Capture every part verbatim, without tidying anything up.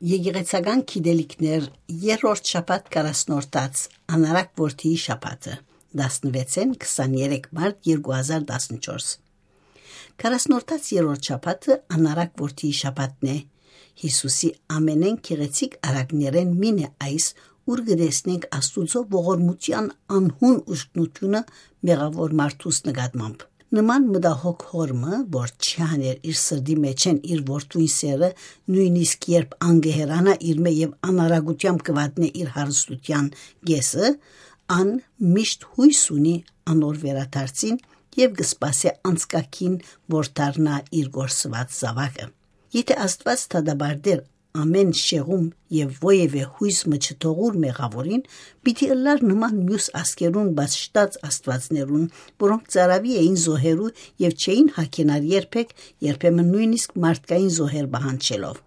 Եկեղեցական գիտելիքներ, երրորդ շաբաթ, Կարասնորդաց, անարակ որդիի շաբաթը, տասնվեցէն քսաներեք մարտ երկու հազար տասնչորս։ Կարասնորդաց երրորդ շաբաթը անարակ որդիի շաբաթն է։ Յիսուսի ամենէն գեղեցիկ արարքներէն մին է այս, ուր կը տեսնենք Աստուծոյ ողորմութեան անհուն ուժգնութիւնը մեղաւոր մարդուս նկատմամբ։ Նման մտահոգ հօր մը, որ չի հաներ իր սրտի մէջէն իր որդւոյն սերը, նոյնիսկ երբ ան կը հեռանայ իրմէ եւ անարագութեամբ կը վատնէ իր հարստութեան կէսը, ան միշտ յոյս ունի անոր վերադարձին եւ կը սպասէ անցկագին, որ դառնայ իր կորսուած զաւակը։ Եթէ Աստուած դատապարտէր ամէն շեղում եւ որեւէ յոյս մը չթողուր մեղաւորին, պիտի ըլլար նման միւս ազգերուն պաշտած աստուածներուն, որոնք ծարաւի էին զոհերու եւ չէին հագենար երբեք, երբեմն նոյնիսկ մարդկային զոհեր պահանջելով։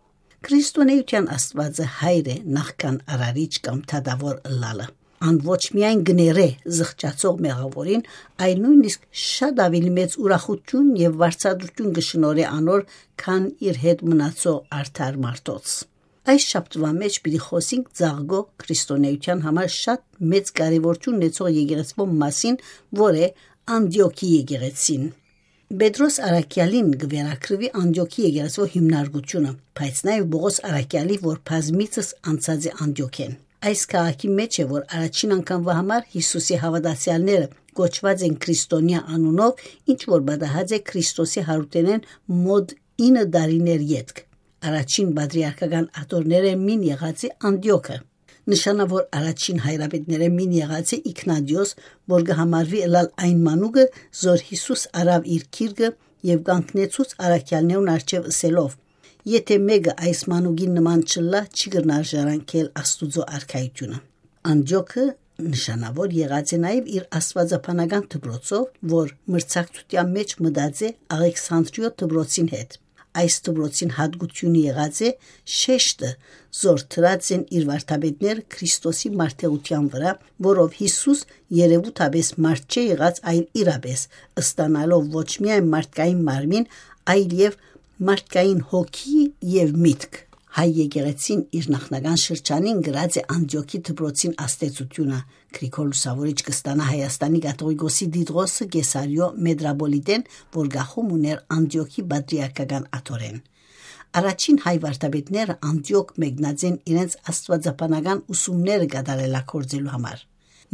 Քրիստոնէութեան Աստուածը հայր է նախքան արարիչ կամ դատաւոր ըլլալը։ Ան ոչ միայն կը ներէ զղջացող մեղաւորին, այլ նոյնիսկ շատ աւելի մեծ ուրախութիւն եւ վարձատրութիւն կը շնորհէ անոր, քան իր հետ մնացող արդար մարդոց։ Այս շաբթուան մէջ պիտի խօսենք ծաղկող քրիստոնէութեան համար շատ մեծ կարեւորութիւն ունեցող եկեղեցւոյ մասին, որ է Անտիոքի եկեղեցին։ Պետրոս Առաքեալին կը վերագրուի Անտիոքի եկեղեցւոյ հիմնարկութիւնը, բայց նաեւ Պողոս Առաքեալի, որ բազմիցս անցած է Անտիոքէն։ Այս քաղաքի մէջ է, որ առաջին անգամվա համար Յիսուսի հաւատացեալները կոչուած են քրիստոնեայ անունով, ինչ որ պատահած է Քրիստոսի յարութենէն մօտ ինը տարիներ ետք։ Առաջին պատրիարքական աթոռներէն մին եղած է Անտիոքը։ Նշանաւոր առաջին հայրապետներէն մին եղած է Իգնատիոս, որ կը համարուի ըլալ այն մանուկը, զոր Յիսուս առաւ իր գիրկը եւ կանգնեցուց առաքեալներուն առջեւ ըսելով. «Եթէ մէկը այս մանուկին նման չըլլայ, չի կրնար ժառանգել Աստուծոյ արքայութիւնը»։ Անտիոքը նշանաւոր եղած է նաեւ իր աստուածաբանական դպրոցով, որ մրցակցութեան մէջ մտած է Աղեքսանտրիոյ դպրոցին հետ։ Այս դպրոցին յատկութիւնը եղած է շեշտը, զոր դրած են իր վարդապետները Քրիստոսի մարտերութեան վրայ, որով Յիսուս երեւութապէս մարդ չէ եղած, այլ իրապէս, ստանալով ոչ միայն մարդկային մարմին, այլ եւ մարդկային հոգի եւ միտք։ Հայ եկեղեցին իր նախնական շրջանին գրած է Անտիոքի դպրոցին ազդեցութիւնը։ Գրիգոր Լուսաւորիչ կը ստանայ Հայաստանի կաթողիկոսի Տիդղոսը Կեսարիոյ մետրապոլիտէն, որ կախում ուներ Անտիոքի պատրիարքական աթոռէն։ Առաջին հայ վարդապետները Անտիոք մեկնած են իրենց աստուածաբանական ուսումները կատարելագործելու համար։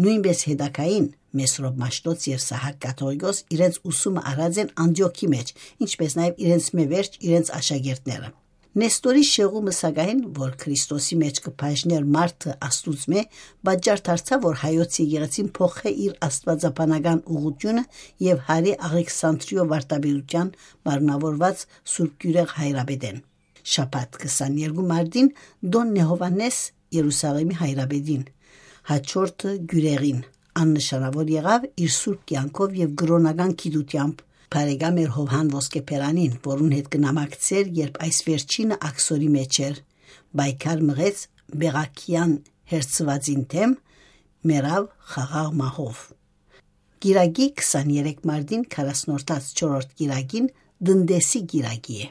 Նոյնպէս հետագային Մեսրոպ Մաշտոց եւ Սահակ կաթողիկոս իրենց ուսումը առած են Անտիոքի մէջ, ինչպէս նաեւ իրենց մէ վերջ իրենց աշակերտները։ Նեստորի շեղումը, սակայն, որ Քրիստոսի մէջ կը բաժներ մարդը Աստուծմէ, պատճառ դարձաւ, որ հայոց եկեղեցին փոխէ իր աստուածաբանական ուղղութիւնը եւ հարի Աղեքսանտրիոյ վարդապետութեան մարմնաւորուած Սուրբ Գիւրեղ հայրապետէն։ Շաբաթ քսաներկու մարտին տօնն է Յովհաննէս Երուսաղէմի հայրապետին, հաջորդը Գիւրեղին։ Ան նշանաւոր եղաւ իր սուրբ կեանքով եւ կրօնական գիտութեամբ։ Բարեկամ էր Յովհան Ոսկեբերանին, որուն հետ կը նամակցէր, երբ այս վերջինը աքսորի մէջ էր, պայքար մղեց Բեղաքեան հերձուածին դէմ, մեռաւ խաղաղ մահով։ Կիրակի քսաներեք մարտին, քառասնորդաց չորրորդ կիրակին, Տնտեսի կիրակի է։